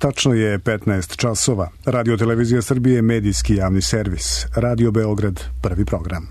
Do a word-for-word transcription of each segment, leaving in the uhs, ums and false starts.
Tačno je petnaest časova. Radio Televizija Srbije, medijski javni servis. Radio Beograd, prvi program.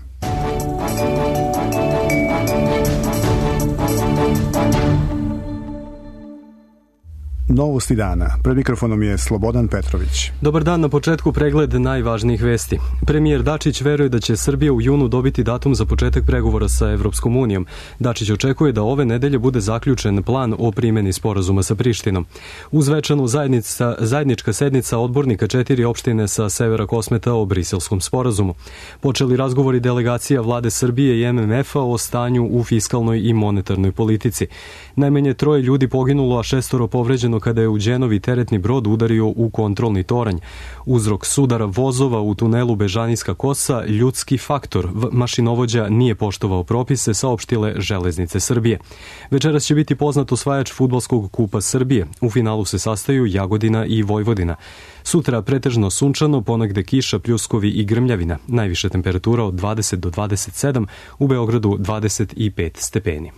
Novosti dana. Pred mikrofonom je Slobodan Petrović. Dobar dan, na početku pregled najvažnijih vesti. Premijer Dačić veruje da će Srbija u junu dobiti datum za početak pregovora sa Evropskom unijom. Dačić očekuje da ove nedelje bude zaključen plan o primjeni sporazuma sa Prištinom. Uz večanu zajednica, zajednička sednica odbornika četiri opštine sa severa Kosmeta o briselskom sporazumu. Počeli razgovori delegacija vlade Srbije i M M F-a o stanju u fiskalnoj i monetarnoj politici. Najmanje troje ljudi poginulo, a šestoro povređeno kada je u Đenovi teretni brod udario u kontrolni toranj. Uzrok sudara vozova u tunelu Bežanijska kosa, ljudski faktor. Mašinovođa nije poštovao propise, saopštile Železnice Srbije. Večeras će biti poznat osvajač fudbalskog kupa Srbije. U finalu se sastaju Jagodina i Vojvodina. Sutra pretežno sunčano, ponegde kiša, pljuskovi i grmljavina. Najviša temperatura od dvadeset do dvadeset sedam, u Beogradu dvadeset pet stepeni.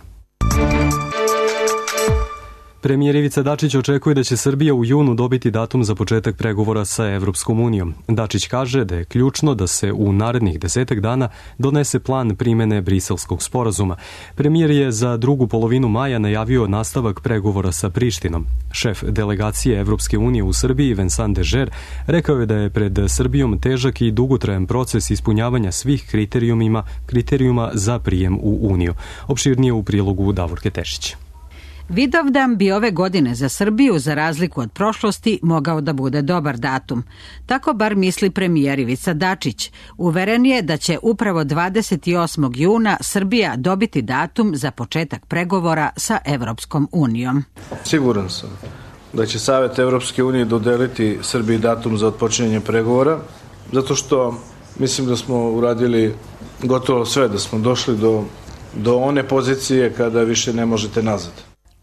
Premijer Ivica Dačić očekuje da će Srbija u junu dobiti datum za početak pregovora sa Evropskom unijom. Dačić kaže da je ključno da se u narednih desetak dana donese plan primene briselskog sporazuma. Premijer je za drugu polovinu maja najavio nastavak pregovora sa Prištinom. Šef delegacije Evropske unije u Srbiji, Vincent Dežer, rekao je da je pred Srbijom težak i dugotrajan proces ispunjavanja svih kriterijuma, kriterijuma za prijem u Uniju. Opširnije u prilogu Davorke Tešić. Vidovdan bi ove godine za Srbiju, za razliku od prošlosti, mogao da bude dobar datum. Tako bar misli premijer Ivica Dačić. Uveren je da će upravo dvadeset osmog juna Srbija dobiti datum za početak pregovora sa Evropskom unijom. Siguran sam da će Savet Evropske unije dodeliti Srbiji datum za otpočinjanje pregovora, zato što mislim da smo uradili gotovo sve, da smo došli do, do one pozicije kada više ne možete nazad.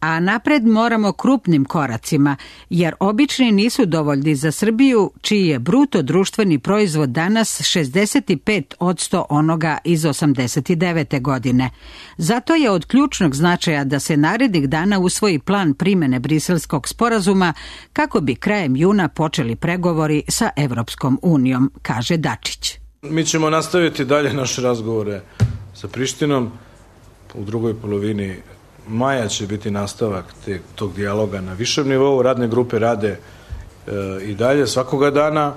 A napred moramo krupnim koracima, jer obični nisu dovoljni za Srbiju, čiji je bruto društveni proizvod danas šezdeset pet posto onoga iz osamdeset devete. godine. Zato je od ključnog značaja da se narednih dana usvoji plan primene briselskog sporazuma kako bi krajem juna počeli pregovori sa Evropskom unijom, kaže Dačić. Mi ćemo nastaviti dalje naše razgovore sa Prištinom. U drugoj polovini maja će biti nastavak te, tog dijaloga na višem nivou. Radne grupe rade e, i dalje svakoga dana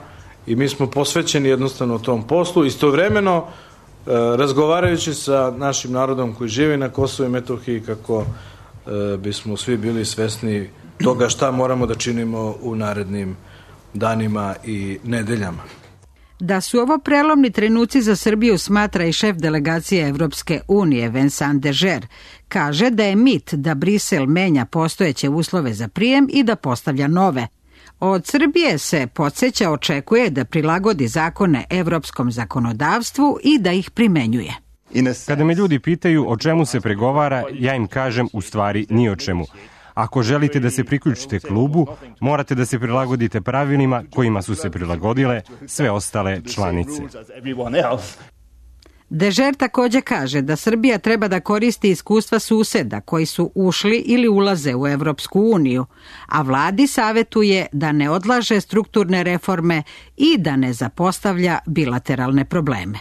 i mi smo posvećeni jednostavno tom poslu. Istovremeno e, razgovarajući sa našim narodom koji živi na Kosovu i Metohiji kako e, bismo svi bili svesni toga šta moramo da činimo u narednim danima i nedeljama. Da su ovo prelomni trenuci za Srbiju smatra i šef delegacije Evropske unije Vincent Dežer. Kaže da je mit da Brisel menja postojeće uslove za prijem i da postavlja nove. Od Srbije se, podsjeća, očekuje da prilagodi zakone evropskom zakonodavstvu i da ih primenjuje. Kada me ljudi pitaju o čemu se pregovara, ja im kažem u stvari ni o čemu. Ako želite da se priključite klubu, morate da se prilagodite pravilima kojima su se prilagodile sve ostale članice. Dežer također kaže da Srbija treba da koristi iskustva suseda koji su ušli ili ulaze u Evropsku uniju, a vladi savetuje da ne odlaže strukturne reforme i da ne zapostavlja bilateralne probleme.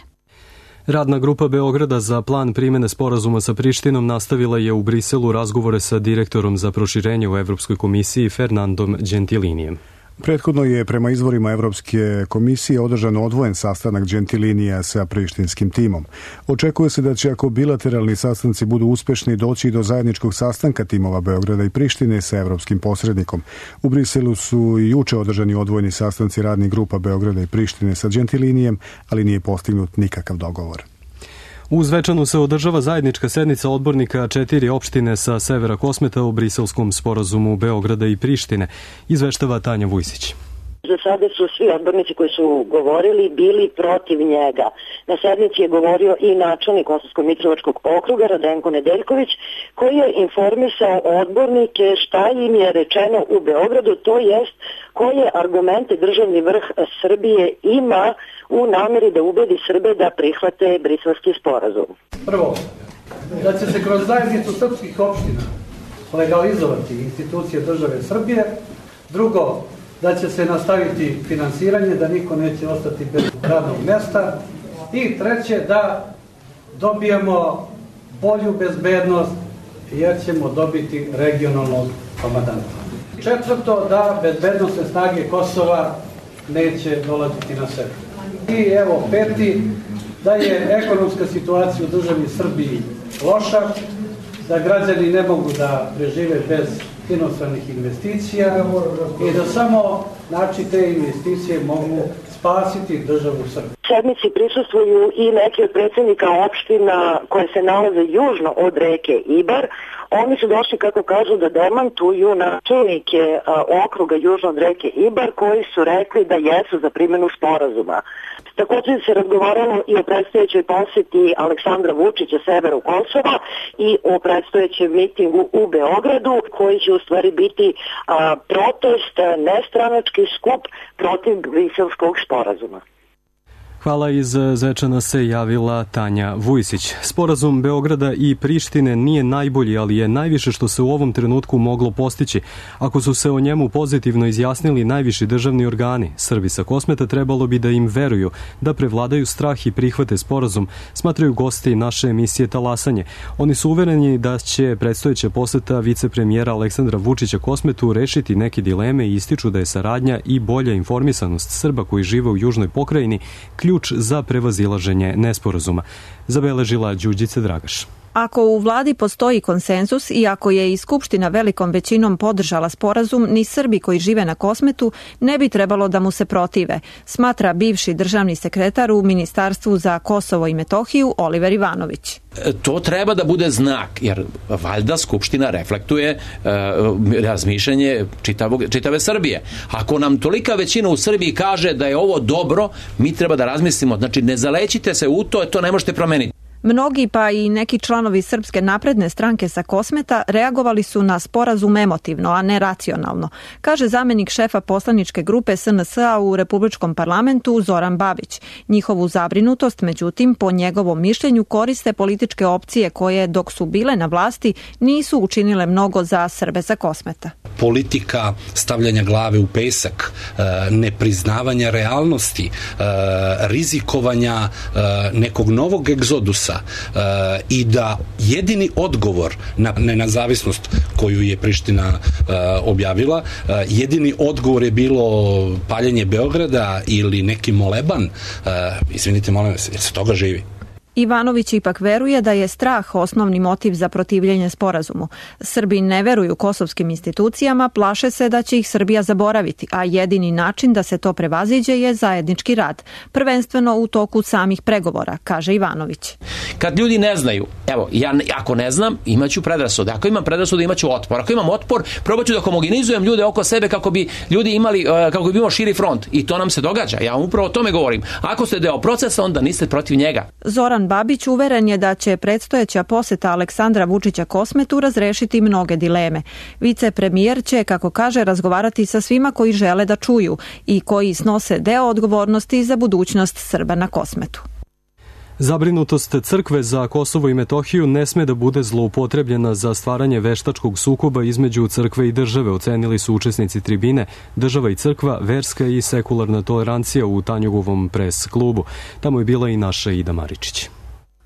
Radna grupa Beograda za plan primjene sporazuma sa Prištinom nastavila je u Briselu razgovore sa direktorom za proširenje u Evropskoj komisiji Fernandom Gentilinijem. Prethodno je prema izvorima Evropske komisije održan odvojen sastanak Gentilinija sa prištinskim timom. Očekuje se da će, ako bilateralni sastanci budu uspešni, doći do zajedničkog sastanka timova Beograda i Prištine sa evropskim posrednikom. U Briselu su i juče održani odvojeni sastanci radnih grupa Beograda i Prištine sa Gentilinijem, ali nije postignut nikakav dogovor. U Zvečanu se održava zajednička sednica odbornika četiri opštine sa severa Kosmeta o briselskom sporazumu Beograda i Prištine, izveštava Tanja Vujsić. Za sada su svi odbornici koji su govorili bili protiv njega. Na sednici je govorio i načelnik Kosovsko-Mitrovačkog okruga Radenko Nedeljković, koji je informisao odbornike šta im je rečeno u Beogradu, to jest koje argumente državni vrh Srbije ima u nameri da ubedi Srbe da prihvate briselski sporazum. Prvo, da će se kroz zajednicu srpskih opština legalizovati institucije države Srbije. Drugo, da će se nastaviti finansiranje, da niko neće ostati bez radnog mjesta. I treće, da dobijemo bolju bezbednost jer ćemo dobiti regionalnog komandanta. Četvrto, da bezbednosne snage Kosova neće dolaziti na sebe. I evo peti, da je ekonomska situacija u državi Srbiji loša, da građani ne mogu da prežive bez inostranih investicija i da samo znači te investicije mogu spasiti državu Srbiju. Sednici prisustvuju i neki od predsjednika opština koje se nalaze južno od reke Ibar. Oni su došli, kako kažu, da demantuju načelnike okruga južno od reke Ibar koji su rekli da jesu za primjenu sporazuma. Također se razgovaralo i o predstojećoj posjeti Aleksandra Vučića severu Kosova i o predstojećem mitingu u Beogradu koji će u stvari biti a, protest, nestranački skup protiv Briselskog sporazuma. Hvala, iz Zečana se javila Tanja Vujsić. Sporazum Beograda i Prištine nije najbolji, ali je najviše što se u ovom trenutku moglo postići. Ako su se o njemu pozitivno izjasnili najviši državni organi, Srbi sa Kosmeta trebalo bi da im veruju, da prevladaju strah i prihvate sporazum, smatraju gosti naše emisije Talasanje. Oni su uvereni da će predstojeća poseta vicepremijera Aleksandra Vučića Kosmetu rešiti neke dileme i ističu da je saradnja i bolja informisanost Srba koji žive u južnoj pokrajini ključ za prevazilaženje nesporazuma, zabeležila Đurđica Dragaš. Ako u vladi postoji konsenzus i ako je i Skupština velikom većinom podržala sporazum, ni Srbi koji žive na Kosmetu ne bi trebalo da mu se protive, smatra bivši državni sekretar u Ministarstvu za Kosovo i Metohiju Oliver Ivanović. To treba da bude znak, jer valjda Skupština reflektuje e, razmišljanje čitavog, čitave Srbije. Ako nam tolika većina u Srbiji kaže da je ovo dobro, mi treba da razmislimo. Znači, ne zalećite se u to, to ne možete promeniti. Mnogi, pa i neki članovi Srpske napredne stranke sa Kosmeta, reagovali su na sporazum emotivno, a ne racionalno, kaže zamenik šefa poslaničke grupe S N S-a u Republičkom parlamentu Zoran Babić. Njihovu zabrinutost, međutim, po njegovom mišljenju koriste političke opcije koje, dok su bile na vlasti, nisu učinile mnogo za Srbe sa Kosmeta. Politika stavljanja glave u pesak, nepriznavanja realnosti, rizikovanja nekog novog egzodusa i da jedini odgovor na nezavisnost koju je Priština objavila, jedini odgovor je bilo paljenje Beograda ili neki moleban, izvinite, molim vas, jer se toga živi. Ivanović ipak veruje da je strah osnovni motiv za protivljenje sporazumu. Srbi ne veruju kosovskim institucijama, plaše se da će ih Srbija zaboraviti, a jedini način da se to prevaziđe je zajednički rad, prvenstveno u toku samih pregovora, kaže Ivanović. Kad ljudi ne znaju, evo, ja ako ne znam, imaću predrasude. Ako imam predrasude, imaću otpor. Ako imam otpor, probat ću da homogenizujem ljude oko sebe kako bi ljudi imali, kako bi imao širi front. I to nam se događa. Ja vam upravo o tome govorim. Ako ste deo procesa, onda niste protiv njega. Zoran Babić uveren je da će predstojeća poseta Aleksandra Vučića Kosmetu razrešiti mnoge dileme. Vicepremijer će, kako kaže, razgovarati sa svima koji žele da čuju i koji snose deo odgovornosti za budućnost Srba na Kosmetu. Zabrinutost crkve za Kosovo i Metohiju ne sme da bude zloupotrebljena za stvaranje veštačkog sukoba između crkve i države, ocenili su učesnici tribine Država i crkva, verska i sekularna tolerancija u Tanjugovom pres klubu. Tamo je bila i naša Ida Maričić.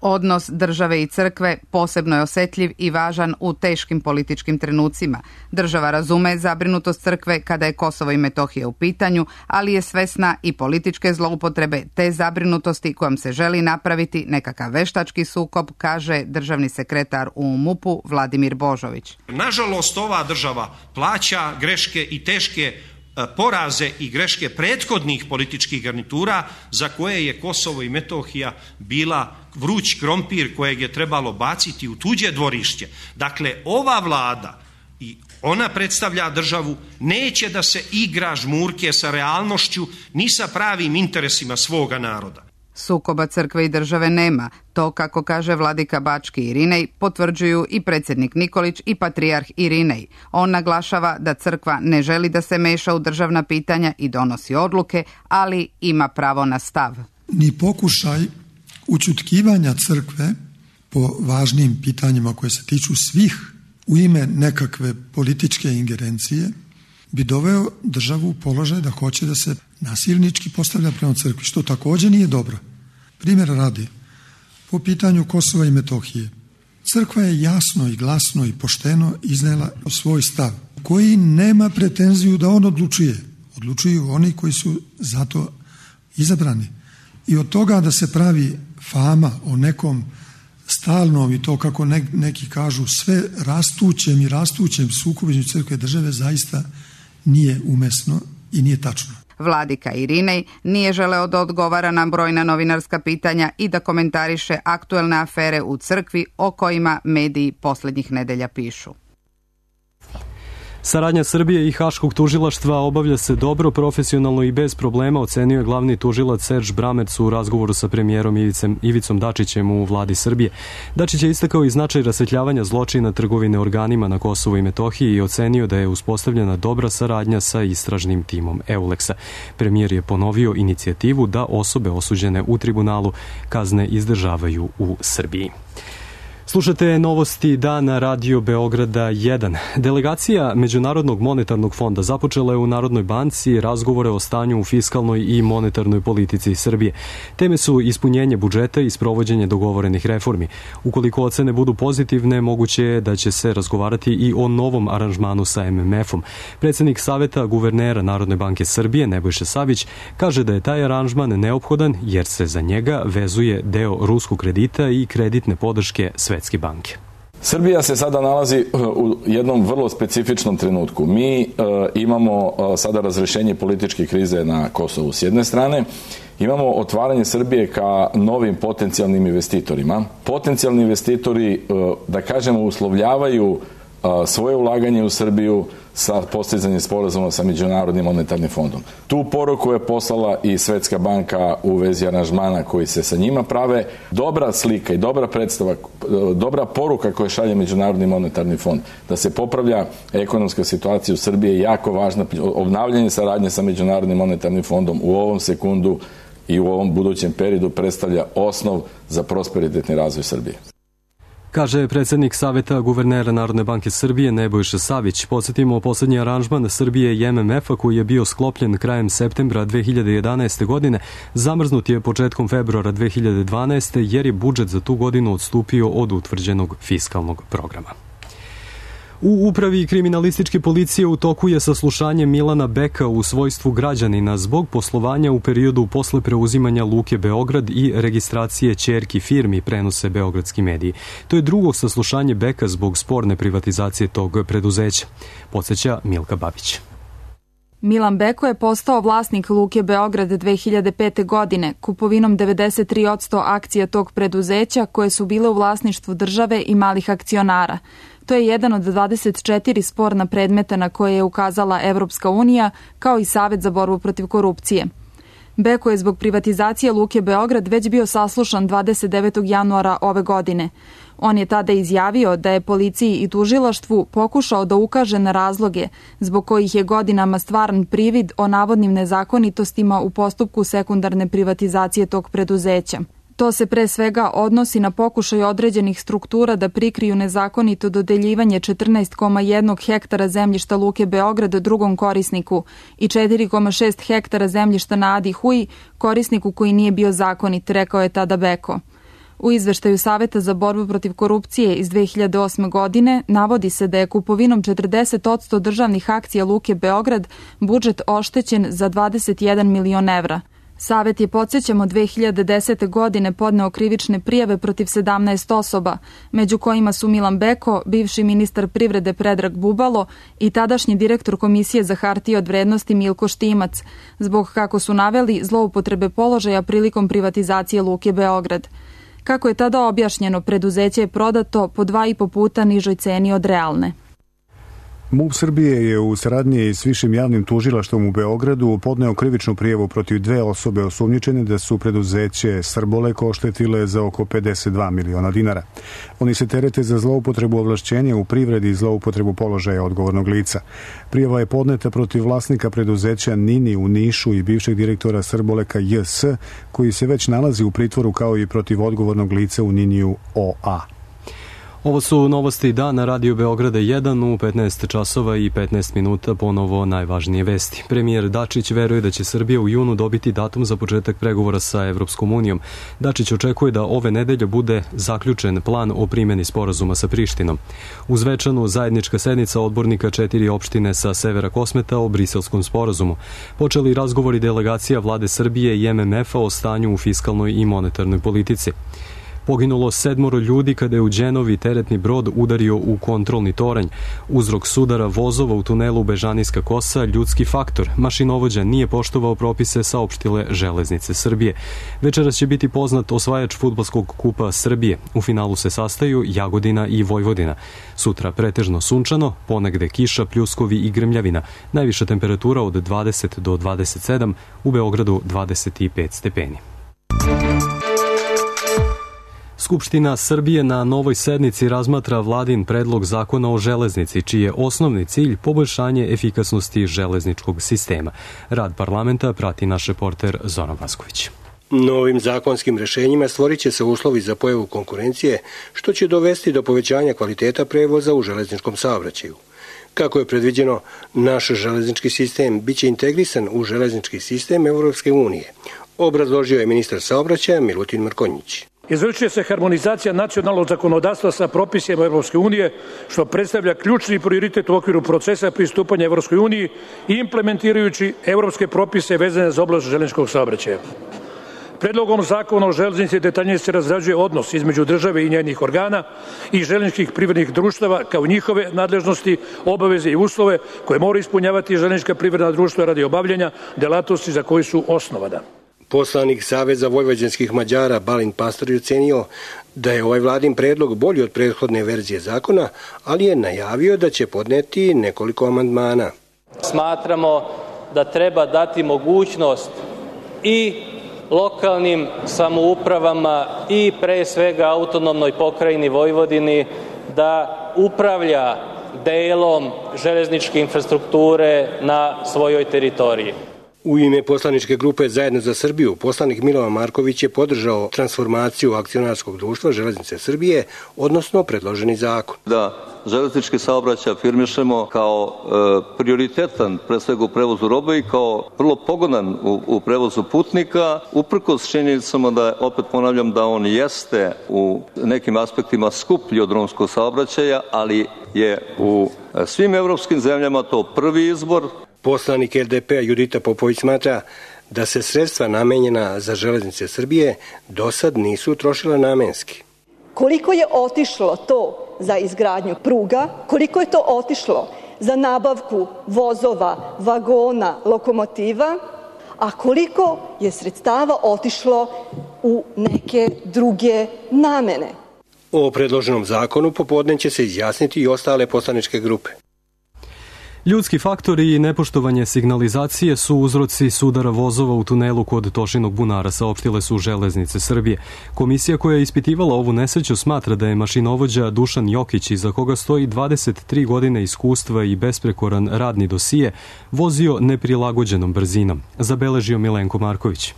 Odnos države i crkve posebno je osetljiv i važan u teškim političkim trenucima. Država razume zabrinutost crkve kada je Kosovo i Metohija u pitanju, ali je svesna i političke zloupotrebe te zabrinutosti kojom se želi napraviti nekakav veštački sukob, kaže državni sekretar u M U P-u Vladimir Božović. Nažalost, ova država plaća greške i teške poraze i greške prethodnih političkih garnitura za koje je Kosovo i Metohija bila vruć krompir kojeg je trebalo baciti u tuđe dvorište. Dakle, ova vlada, i ona predstavlja državu, neće da se igra žmurke sa realnošću ni sa pravim interesima svoga naroda. Sukoba crkve i države nema. To, kako kaže vladika Bački Irinej, potvrđuju i predsjednik Nikolić i patrijarh Irinej. On naglašava da crkva ne želi da se meša u državna pitanja i donosi odluke, ali ima pravo na stav. Ni pokušaj ućutkivanja crkve po važnim pitanjima koje se tiču svih u ime nekakve političke ingerencije bi doveo državu u položaj da hoće da se nasilnički postavlja prema crkvi, što također nije dobro. Primjera radi, po pitanju Kosova i Metohije, crkva je jasno i glasno i pošteno iznela svoj stav, koji nema pretenziju da on odlučuje. Odlučuju oni koji su zato izabrani. I od toga da se pravi fama o nekom stalnom i to kako neki kažu sve rastućem i rastućem sukobu između crkve i države zaista nije umesno i nije tačno. Vladika Irinej nije želeo da odgovara na brojna novinarska pitanja i da komentariše aktuelne afere u crkvi o kojima mediji posljednjih nedelja pišu. Saradnja Srbije i Haškog tužilaštva obavlja se dobro, profesionalno i bez problema, ocenio je glavni tužilac Serž Bramerc u razgovoru sa premijerom Ivicem, Ivicom Dačićem u vladi Srbije. Dačić je istakao i značaj rasvetljavanja zločina trgovine organima na Kosovu i Metohiji i ocenio da je uspostavljena dobra saradnja sa istražnim timom Euleksa. Premijer je ponovio inicijativu da osobe osuđene u tribunalu kazne izdržavaju u Srbiji. Slušate novosti dana Radio Beograda jedan. Delegacija Međunarodnog monetarnog fonda započela je u Narodnoj banci razgovore o stanju u fiskalnoj i monetarnoj politici Srbije. Teme su ispunjenje budžeta i sprovođenje dogovorenih reformi. Ukoliko ocene budu pozitivne, moguće je da će se razgovarati i o novom aranžmanu sa em em efom. Predsjednik Saveta guvernera Narodne banke Srbije, Nebojša Savić, kaže da je taj aranžman neophodan jer se za njega vezuje deo ruskog kredita i kreditne podrške sve banke. Srbija se sada nalazi u jednom vrlo specifičnom trenutku. Mi e, imamo e, sada razrešenje političke krize na Kosovu s jedne strane, imamo otvaranje Srbije ka novim potencijalnim investitorima. Potencijalni investitori, e, da kažemo, uslovljavaju e, svoje ulaganje u Srbiju sa postizanjem sporazuma sa Međunarodnim monetarnim fondom. Tu poruku je poslala i Svetska banka u vezi aranžmana koji se sa njima prave. Dobra slika i dobra predstava, dobra poruka koju šalje Međunarodni monetarni fond da se popravlja ekonomska situacija u Srbiji je jako važna. Obnavljanje saradnje sa Međunarodnim monetarnim fondom u ovom sekundu i u ovom budućem periodu predstavlja osnov za prosperitetni razvoj Srbije. Kaže predsjednik Saveta guvernera Narodne banke Srbije Nebojša Savić. Podsjetimo, posljednji aranžman Srbije i em em efa koji je bio sklopljen krajem septembra dve hiljade jedanaeste. godine zamrznut je početkom februara dve hiljade dvanaeste. jer je budžet za tu godinu odstupio od utvrđenog fiskalnog programa. U upravi kriminalističke policije u toku je saslušanje Milana Beka u svojstvu građanina zbog poslovanja u periodu posle preuzimanja Luke Beograd i registracije ćerki firmi, prenose beogradski mediji. To je drugo saslušanje Beka zbog sporne privatizacije tog preduzeća. Podsjeća Milka Babić. Milan Beko je postao vlasnik Luke Beograd dve hiljade pete. godine kupovinom devedeset tri posto akcija tog preduzeća koje su bile u vlasništvu države i malih akcionara. To je jedan od dvadeset četiri sporna predmeta na koje je ukazala Evropska unija, kao i Savet za borbu protiv korupcije. Beko je zbog privatizacije Luke Beograd već bio saslušan dvadeset devetog januara ove godine. On je tada izjavio da je policiji i tužilaštvu pokušao da ukaže na razloge zbog kojih je godinama stvaran privid o navodnim nezakonitostima u postupku sekundarne privatizacije tog preduzeća. To se pre svega odnosi na pokušaj određenih struktura da prikriju nezakonito dodeljivanje četrnaest zarez jedan hektara zemljišta Luke Beograd drugom korisniku i četiri zarez šest hektara zemljišta na Adi Huji, korisniku koji nije bio zakonit, rekao je tada Beko. U izveštaju Saveta za borbu protiv korupcije iz dve hiljade osme. godine navodi se da je kupovinom četrdeset posto državnih akcija Luke Beograd budžet oštećen za dvadeset jedan milion evra. Savet je, podsjećamo, dve hiljade desete. godine podneo krivične prijave protiv sedamnaest osoba, među kojima su Milan Beko, bivši ministar privrede Predrag Bubalo i tadašnji direktor Komisije za hartije od vrednosti Milko Štimac, zbog, kako su naveli, zloupotrebe položaja prilikom privatizacije Luke Beograd. Kako je tada objašnjeno, preduzeće je prodato po dva i po puta nižoj ceni od realne. MUP Srbije je u saradnji s višim javnim tužilaštvom u Beogradu podneo krivičnu prijavu protiv dve osobe osumnjičene da su preduzeće Srbolek oštetile za oko pedeset dva miliona dinara. Oni se terete za zloupotrebu ovlašćenja u privredi i zloupotrebu položaja odgovornog lica. Prijava je podneta protiv vlasnika preduzeća Nini u Nišu i bivšeg direktora Srboleka J S, koji se već nalazi u pritvoru, kao i protiv odgovornog lica u Niniju O A. Ovo su novosti dana Radio Beograda jedan u petnaest časova i petnaest minuta, ponovo najvažnije vesti. Premijer Dačić veruje da će Srbija u junu dobiti datum za početak pregovora sa Evropskom unijom. Dačić očekuje da ove nedelje bude zaključen plan o primjeni sporazuma sa Prištinom. U Zvečanu zajednička sednica odbornika četiri opštine sa severa Kosmeta o briselskom sporazumu. Počeli razgovori delegacija vlade Srbije i em em ef-a o stanju u fiskalnoj i monetarnoj politici. Poginulo sedmoro ljudi kada je u Đenovi teretni brod udario u kontrolni toranj. Uzrok sudara vozova u tunelu Bežanijska kosa ljudski faktor. Mašinovođa nije poštovao propise, saopštile Železnice Srbije. Večeras će biti poznat osvajač fudbalskog kupa Srbije. U finalu se sastaju Jagodina i Vojvodina. Sutra pretežno sunčano, ponegde kiša, pljuskovi i grmljavina. Najviša temperatura od dvadeset do dvadeset sedam, u Beogradu dvadeset pet stepeni. Skupština Srbije na novoj sednici razmatra vladin predlog zakona o železnici, čiji je osnovni cilj poboljšanje efikasnosti železničkog sistema. Rad parlamenta prati naš reporter Zoran Vasković. Novim zakonskim rešenjima stvorit će se uslovi za pojavu konkurencije, što će dovesti do povećanja kvaliteta prevoza u železničkom saobraćaju. Kako je predviđeno, naš železnički sistem biće integrisan u železnički sistem Evropske unije, obrazložio je ministar saobraćaja Milutin Mrkonjić. Izvršuje se harmonizacija nacionalnog zakonodavstva sa propisima Evropske unije, što predstavlja ključni prioritet u okviru procesa pristupanja Evropskoj uniji i implementirajući evropske propise vezane za oblast železničkog saobraćaja. Predlogom zakona o železnici detaljnije se razrađuje odnos između države i njenih organa i železničkih privrednih društava, kao njihove nadležnosti, obaveze i uslove koje mora ispunjavati železnička privredna društva radi obavljanja delatnosti za koju su osnovana. Poslanik Saveza vojvođanskih Mađara Balint Pastor je ocenio da je ovaj vladin predlog bolji od prethodne verzije zakona, ali je najavio da će podneti nekoliko amandmana. Smatramo da treba dati mogućnost i lokalnim samoupravama i pre svega autonomnoj pokrajini Vojvodini da upravlja delom železničke infrastrukture na svojoj teritoriji. U ime poslaničke grupe Zajedno za Srbiju, poslanik Milovan Marković je podržao transformaciju akcionarskog društva Železnice Srbije, odnosno predloženi zakon. Da železnički saobraćaj afirmišemo kao e, prioritetan, pre svega u prevozu robe i kao vrlo pogodan u, u prevozu putnika, uprkos činjenicama da, opet ponavljam, da on jeste u nekim aspektima skuplji od drumskog saobraćaja, ali je u svim evropskim zemljama to prvi izbor. Poslanik el de pe-a Judita Popović smatra da se sredstva namenjena za Železnice Srbije do sad nisu trošila namenski. Koliko je otišlo to za izgradnju pruga, koliko je to otišlo za nabavku vozova, vagona, lokomotiva, a koliko je sredstava otišlo u neke druge namene. O predloženom zakonu popodne će se izjasniti i ostale poslaničke grupe. Ljudski faktori i nepoštovanje signalizacije su uzroci sudara vozova u tunelu kod Tošinog bunara, saopštile su Železnice Srbije. Komisija koja je ispitivala ovu nesreću smatra da je mašinovođa Dušan Jokić, iza koga stoji dvadeset tri godine iskustva i besprekoran radni dosije, vozio neprilagođenom brzinom, zabeležio Milenko Marković.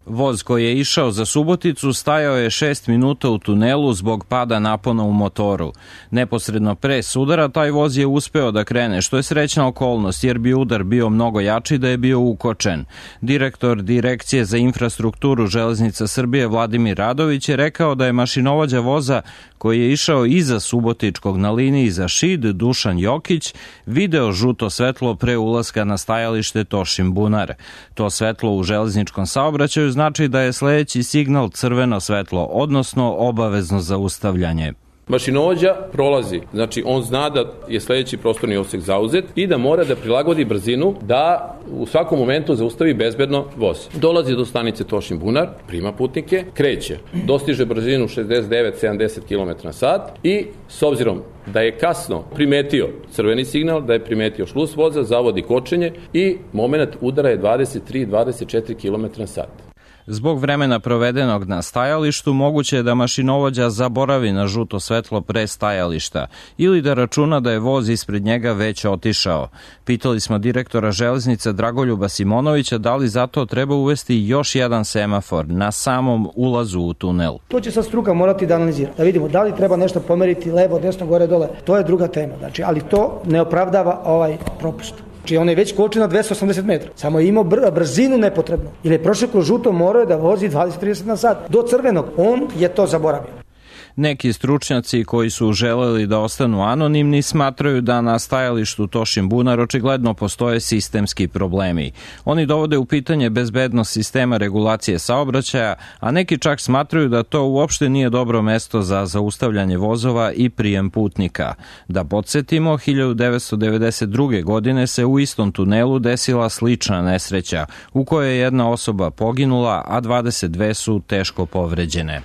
Voz koji je išao za Suboticu stajao je šest minuta u tunelu zbog pada napona u motoru. Neposredno pre sudara taj voz je uspeo da krene, što je srećna okolnost jer bi udar bio mnogo jači da je bio ukočen. Direktor Direkcije za infrastrukturu Železnica Srbije Vladimir Radović je rekao da je mašinovođa voza koji je išao iza Subotičkog na liniji za Šid, Dušan Jokić, video žuto svetlo pre ulaska na stajalište Tošin bunar. To svetlo u železničkom saobraćaju znači da je sledeći signal crveno svetlo, odnosno obavezno zaustavljanje. Mašinovođa prolazi, znači on zna da je sledeći prostorni odsek zauzet i da mora da prilagodi brzinu da u svakom momentu zaustavi bezbedno voz. Dolazi do stanice Tošin bunar, prima putnike, kreće, dostiže brzinu šezdeset devet do sedamdeset kilometara na sat i s obzirom da je kasno primetio crveni signal, da je primetio šlus voza, zavodi kočenje i moment udara je dvadeset tri do dvadeset četiri kilometra na sat. Zbog vremena provedenog na stajalištu moguće je da mašinovođa zaboravi na žuto svetlo pre stajališta ili da računa da je voz ispred njega već otišao. Pitali smo direktora železnice Dragoljuba Simonovića da li zato treba uvesti još jedan semafor na samom ulazu u tunel. To će sad struka morati da analizira, da vidimo da li treba nešto pomeriti levo, desno, gore, dole. To je druga tema, znači, ali to ne opravdava ovaj propust. Znači on je već kočio na dvesta osamdeset metara, samo je imao br- brzinu nepotrebnu. Jer je prošao kroz žuto, morao je da vozi dvadeset do trideset na sat. Do crvenog, on je to zaboravio. Neki stručnjaci koji su želeli da ostanu anonimni smatraju da na stajalištu Tošin Bunar očigledno postoje sistemski problemi. Oni dovode u pitanje bezbednost sistema regulacije saobraćaja, a neki čak smatraju da to uopšte nije dobro mesto za zaustavljanje vozova i prijem putnika. Da podsjetimo, hiljadu devetsto devedeset druge. godine se u istom tunelu desila slična nesreća, u kojoj je jedna osoba poginula, a dvadeset dve su teško povređene.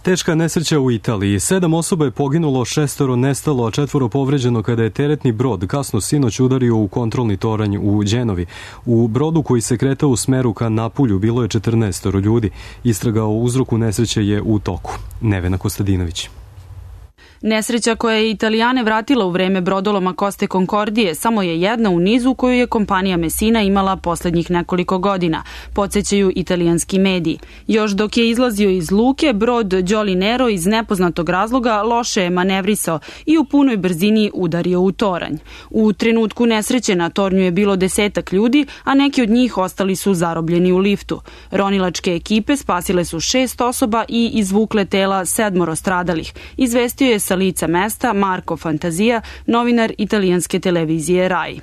Teška nesreća u Italiji. Sedam osoba je poginulo, šestoro nestalo, a četvoro povređeno kada je teretni brod kasno sinoć udario u kontrolni toranj u Đenovi. U brodu koji se kretao u smeru ka Napulju bilo je četrnaestoro ljudi. Istraga o uzroku nesreće je u toku. Nevena Kostadinović. Nesreća koja je Italijane vratila u vreme brodoloma Coste Concordije samo je jedna u nizu koju je kompanija Messina imala poslednjih nekoliko godina, podsjećaju italijanski mediji. Još dok je izlazio iz luke, brod Jolly Nero iz nepoznatog razloga loše je manevrisao i u punoj brzini udario u toranj. U trenutku nesreće na tornju je bilo desetak ljudi, a neki od njih ostali su zarobljeni u liftu. Ronilačke ekipe spasile su šest osoba i izvukle tela sedmoro stradalih, izvestio je sa lica mesta Marco Fantazija, novinar italijanske televizije Rai.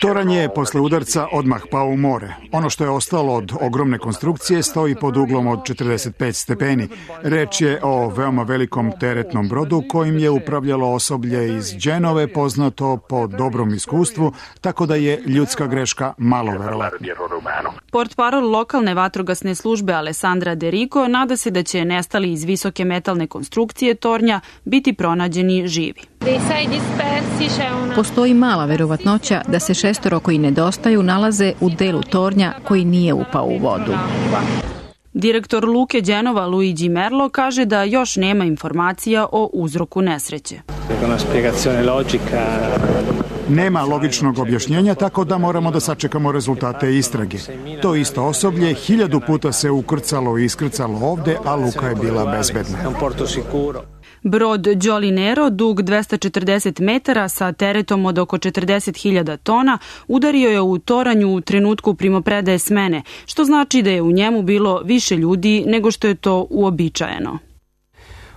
Toranj je posle udarca odmah pao u more. Ono što je ostalo od ogromne konstrukcije stoji pod uglom od četrdeset pet stepeni. Reč je o veoma velikom teretnom brodu kojim je upravljalo osoblje iz Đenove, poznato po dobrom iskustvu, tako da je ljudska greška malo verovatna. Portparol lokalne vatrogasne službe Alessandra De Rico nada se da će nestali iz visoke metalne konstrukcije tornja biti pronađeni živi. Postoji mala verovatnoća da se šestoro koji nedostaju nalaze u delu tornja koji nije upao u vodu. Direktor luke Đenova Luigi Merlo kaže da još nema informacija o uzroku nesreće. Nema logičnog objašnjenja, tako da moramo da sačekamo rezultate istrage. To isto osoblje hiljadu puta se ukrcalo i iskrcalo ovde, a luka je bila bezbedna. Brod Jolly Nero, dug dvesta četrdeset metara sa teretom od oko četrdeset hiljada tona, udario je u toranju u trenutku primopredaje smene, što znači da je u njemu bilo više ljudi nego što je to uobičajeno.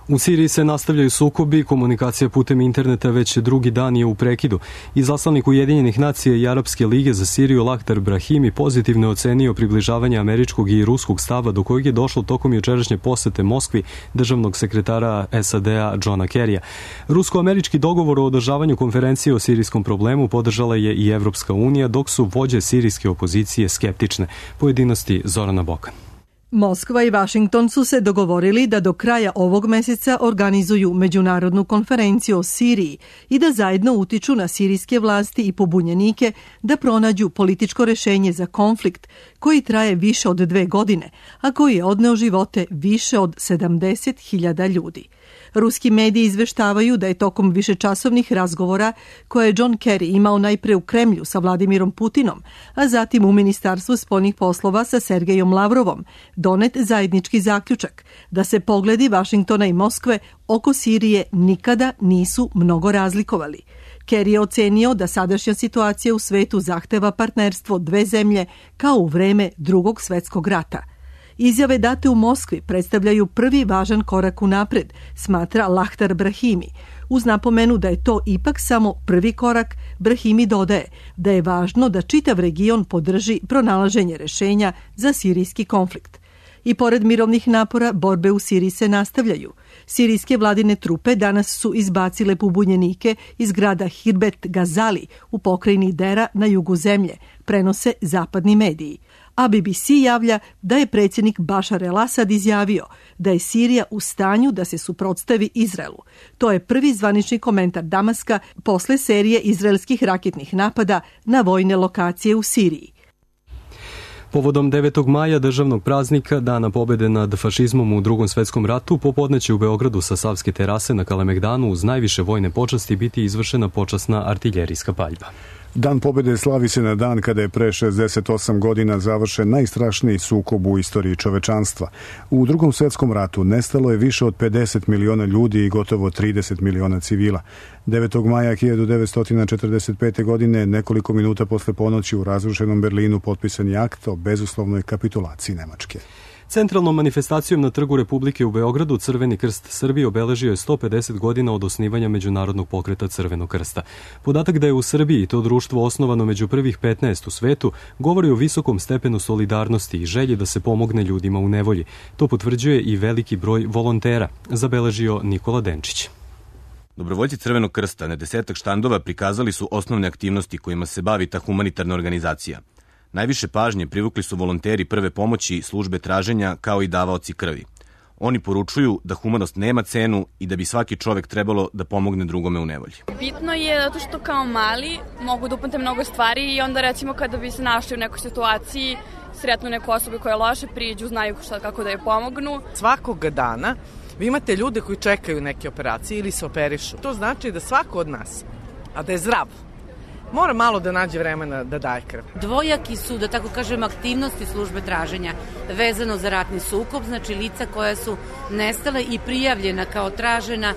U Siriji se nastavljaju sukobi, komunikacija putem interneta već drugi dan je u prekidu. Izaslanik Ujedinjenih nacija i Arapske lige za Siriju Lahtar Brahimi pozitivno ocenio približavanje američkog i ruskog stava do kojeg je došlo tokom jučerašnje posete Moskvi državnog sekretara S A D-a Johna Kerrya. Rusko-američki dogovor o održavanju konferencije o sirijskom problemu podržala je i Evropska unija, dok su vođe sirijske opozicije skeptične. Pojedinosti Zorana Bokan. Moskva i Vašington su se dogovorili da do kraja ovog meseca organizuju međunarodnu konferenciju o Siriji i da zajedno utiču na sirijske vlasti i pobunjenike da pronađu političko rešenje za konflikt koji traje više od dve godine, a koji je odneo živote više od sedamdeset hiljada ljudi. Ruski mediji izveštavaju da je tokom višečasovnih razgovora koje je John Kerry imao najpre u Kremlju sa Vladimirom Putinom, a zatim u Ministarstvu spoljnih poslova sa Sergejom Lavrovom, donet zajednički zaključak da se pogledi Vašingtona i Moskve oko Sirije nikada nisu mnogo razlikovali. Kerry je ocenio da sadašnja situacija u svetu zahteva partnerstvo dve zemlje kao u vreme Drugog svetskog rata. Izjave date u Moskvi predstavljaju prvi važan korak u napred, smatra Lahtar Brahimi. Uz napomenu da je to ipak samo prvi korak, Brahimi dodaje da je važno da čitav region podrži pronalaženje rešenja za sirijski konflikt. I pored mirovnih napora, borbe u Siriji se nastavljaju. Sirijske vladine trupe danas su izbacile pobunjenike iz grada Hirbet Gazali u pokrajini Dera na jugu zemlje, prenose zapadni mediji. A B B C javlja da je predsjednik Bašar el-Asad izjavio da je Sirija u stanju da se suprotstavi Izraelu. To je prvi zvanični komentar Damaska posle serije izraelskih raketnih napada na vojne lokacije u Siriji. Povodom devetog maja, državnog praznika, Dana pobede nad fašizmom u Drugom svetskom ratu, popodne će u Beogradu sa Savske terase na Kalemegdanu uz najviše vojne počasti biti izvršena počasna artiljerijska paljba. Dan pobede slavi se na dan kada je pre šezdeset osam godina završen najstrašniji sukob u istoriji čovečanstva. U Drugom svetskom ratu nestalo je više od pedeset miliona ljudi i gotovo trideset miliona civila. devetog maja hiljadu devetsto četrdeset pete. godine, nekoliko minuta posle ponoći u razrušenom Berlinu, potpisan je akt o bezuslovnoj kapitulaciji Nemačke. Centralnom manifestacijom na Trgu Republike u Beogradu Crveni krst Srbije obeležio je sto pedeset godina od osnivanja Međunarodnog pokreta Crvenog krsta. Podatak da je u Srbiji to društvo osnovano među prvih petnaest u svetu govori o visokom stepenu solidarnosti i želji da se pomogne ljudima u nevolji. To potvrđuje i veliki broj volontera, zabeležio Nikola Denčić. Dobrovoljci Crvenog krsta na desetak štandova prikazali su osnovne aktivnosti kojima se bavi ta humanitarna organizacija. Najviše pažnje privukli su volonteri prve pomoći, službe traženja, kao i davaoci krvi. Oni poručuju da humanost nema cenu i da bi svaki čovek trebalo da pomogne drugome u nevolji. Bitno je zato što kao mali mogu da upamte mnogo stvari i onda recimo kada bi se našli u nekoj situaciji, sretnu neku osobu koja je loše, priđu, znaju šta, kako da je pomognu. Svakog dana vi imate ljude koji čekaju neke operacije ili se operišu. To znači da svako od nas, a da je zdrav, mora malo da nađe vremena da daje krv. Dvojaki su, da tako kažem, aktivnosti službe traženja vezano za ratni sukob, znači lica koja su nestala i prijavljena kao tražena,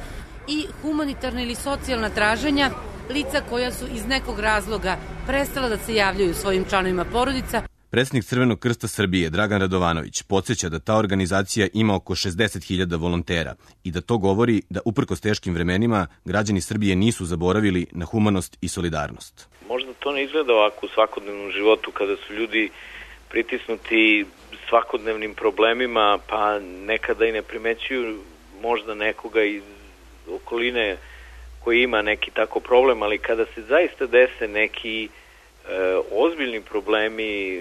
i humanitarna ili socijalna traženja, lica koja su iz nekog razloga prestala da se javljaju svojim članovima porodica. Predsjednik Crvenog krsta Srbije, Dragan Radovanović, podsjeća da ta organizacija ima oko šezdeset hiljada volontera i da to govori da uprkos teškim vremenima građani Srbije nisu zaboravili na humanost i solidarnost. Možda to ne izgleda ovako u svakodnevnom životu kada su ljudi pritisnuti svakodnevnim problemima, pa nekada i ne primećuju možda nekoga iz okoline koji ima neki tako problem, ali kada se zaista dese neki ozbiljni problemi,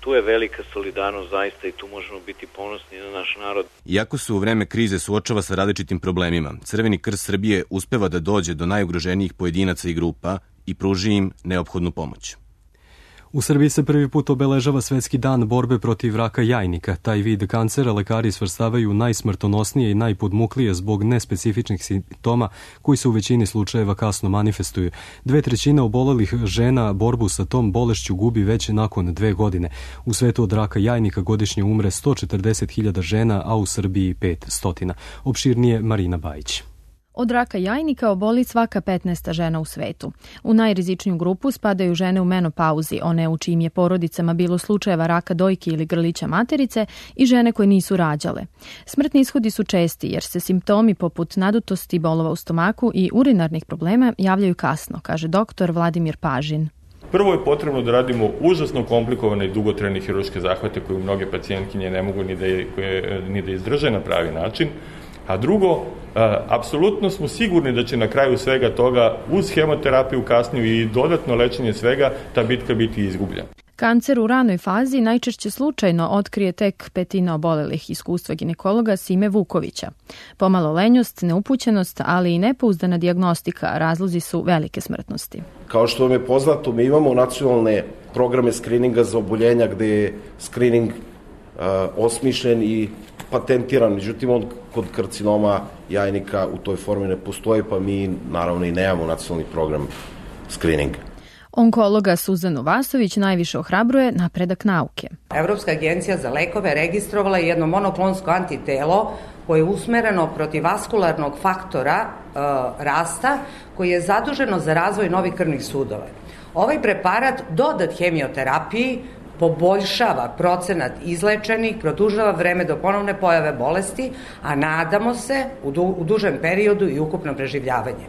tu je velika solidarnost zaista i tu možemo biti ponosni na naš narod. Iako se u vreme krize suočava sa različitim problemima, Crveni krst Srbije uspeva da dođe do najugroženijih pojedinaca i grupa i pruži im neophodnu pomoć. U Srbiji se prvi put obeležava Svetski dan borbe protiv raka jajnika. Taj vid kancera lekari svrstavaju najsmrtonosnije i najpodmuklije zbog nespecifičnih simptoma koji se u većini slučajeva kasno manifestuju. Dve trećine obolelih žena borbu sa tom bolešću gubi već nakon dve godine. U svetu od raka jajnika godišnje umre sto četrdeset hiljada žena, a u Srbiji petsto. Opširnije Marina Bajić. Od raka jajnika oboli svaka petnaesta žena u svetu. U najrizičniju grupu spadaju žene u menopauzi, one u čijim je porodicama bilo slučajeva raka dojke ili grlića materice, i žene koje nisu rađale. Smrtni ishodi su česti jer se simptomi poput nadutosti, bolova u stomaku i urinarnih problema javljaju kasno, kaže doktor Vladimir Pažin. Prvo je potrebno da radimo užasno komplikovane i dugotrajne hirurške zahvate koje mnoge pacijentkinje ne mogu ni da, ni da izdrže na pravi način. A drugo, apsolutno smo sigurni da će na kraju svega toga uz hemoterapiju kasniju i dodatno lečenje svega ta bitka biti izgubljena. Kancer u ranoj fazi najčešće slučajno otkrije tek petina obolelih, iskustva ginekologa Sime Vukovića. Pomalo lenjost, neupućenost, ali i nepouzdana dijagnostika razlozi su velike smrtnosti. Kao što vam je poznato, mi imamo nacionalne programe skrininga za oboljenja gde je skrining uh, osmišljen i patentiran, međutim on kod karcinoma jajnika u toj formi ne postoji, pa mi naravno i nemamo nacionalni program skrininga. Onkologa Suzanu Vasović najviše ohrabruje napredak nauke. Evropska agencija za lekove registrovala je jedno monoklonsko antitelo koje je usmereno protiv vaskularnog faktora e, rasta, koji je zaduženo za razvoj novih krvnih sudova. Ovaj preparat dodat hemioterapiji poboljšava procenat izlečenih, produžava vreme do ponovne pojave bolesti, a nadamo se u, du, u dužem periodu i ukupno preživljavanje.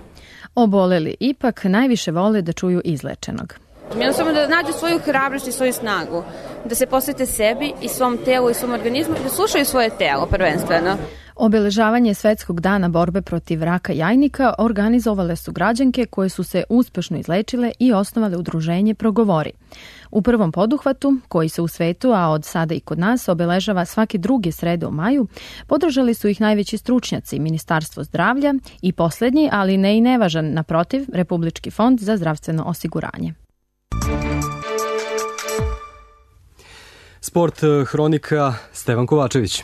Oboleli ipak najviše vole da čuju izlečenog. Jednostavno da nađu svoju hrabrost i svoju snagu, da se posvete sebi i svom telu i svom organizmu i da slušaju svoje telo prvenstveno. Obeležavanje Svetskog dana borbe protiv raka jajnika organizovale su građanke koje su se uspešno izlečile i osnovale udruženje Progovori. U prvom poduhvatu, koji se u svetu, a od sada i kod nas, obeležava svake druge srede u maju, podržali su ih najveći stručnjaci, Ministarstvo zdravlja i poslednji, ali ne i nevažan, naprotiv, Republički fond za zdravstveno osiguranje. Sport hronika Stevan Kovačević.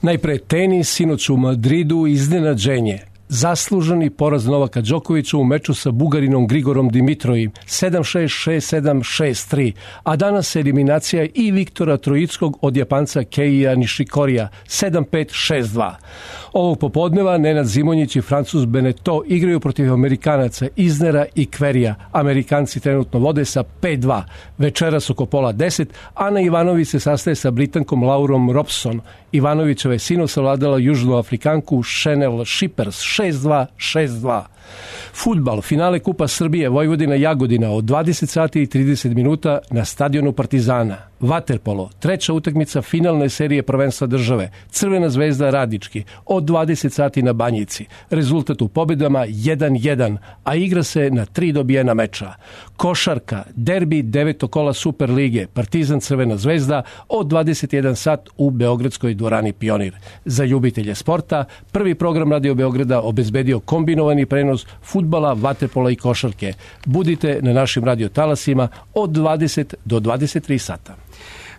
Najpre tenis, sinoć u Madridu iznenađenje. Zasluženi poraz Novaka Đokovića u meču sa Bugarinom Grigorom Dimitrojim sedam šest, šest sedam, šest tri, a danas eliminacija i Viktora Trojickog od Japanca Keija Nishikorija sedam pet, šest dva. Ovog popodneva Nenad Zimonjić i Francuz Beneteau igraju protiv Amerikanaca Iznera i Kverija. Amerikanci trenutno vode sa pet dva. Večeras oko pola deset Ana Ivanović se sastaje sa Britankom Laurom Robson. Ivanovićeva je sinoć savladala Južnoafrikanku Chanel Shippers šest dva, šest dva. Fudbal, finale Kupa Srbije Vojvodina Jagodina od dvadeset sati i trideset minuta na stadionu Partizana. Vaterpolo, treća utakmica finalne serije prvenstva države. Crvena zvezda Radički od dvadeset sati na Banjici. Rezultat u pobedama jedan jedan, a igra se na tri dobijena meča. Košarka, derbi devetog kola Super lige, Partizan Crvena zvezda od dvadeset jedan sat u Beogradskoj dvorani Pionir. Za ljubitelje sporta, prvi program Radio Beograda obezbedio kombinovani prenos fudbala, vaterpola i košarke. Budite na našim radio talasima od dvadeset do dvadeset tri sata.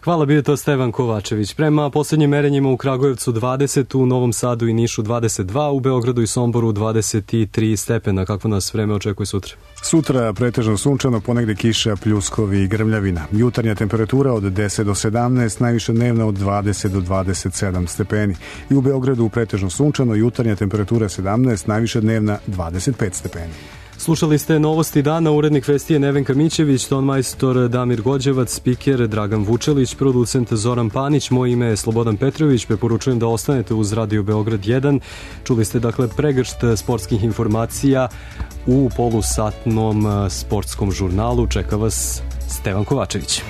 Hvala, bio to Stevan Kovačević. Prema poslednjim merenjima u Kragujevcu dvadeset, u Novom Sadu i Nišu dvadeset dva, u Beogradu i Somboru dvadeset tri stepena. Kako nas vreme očekuje sutra? Sutra pretežno sunčano, ponegde kiša, pljuskovi i grmljavina. Jutarnja temperatura od deset do sedamnaest, najviša dnevna od dvadeset do dvadeset sedam stepeni. I u Beogradu pretežno sunčano, jutarnja temperatura sedamnaest, najviša dnevna dvadeset pet stepeni. Slušali ste Novosti dana, urednik vesti je Nevenka Mićević, tonmajstor Damir Gođevac, spiker Dragan Vučelić, producent Zoran Panić, moje ime je Slobodan Petrović, preporučujem da ostanete uz Radio Beograd jedan. Čuli ste dakle pregršt sportskih informacija u polusatnom sportskom žurnalu. Čeka vas Stevan Kovačević.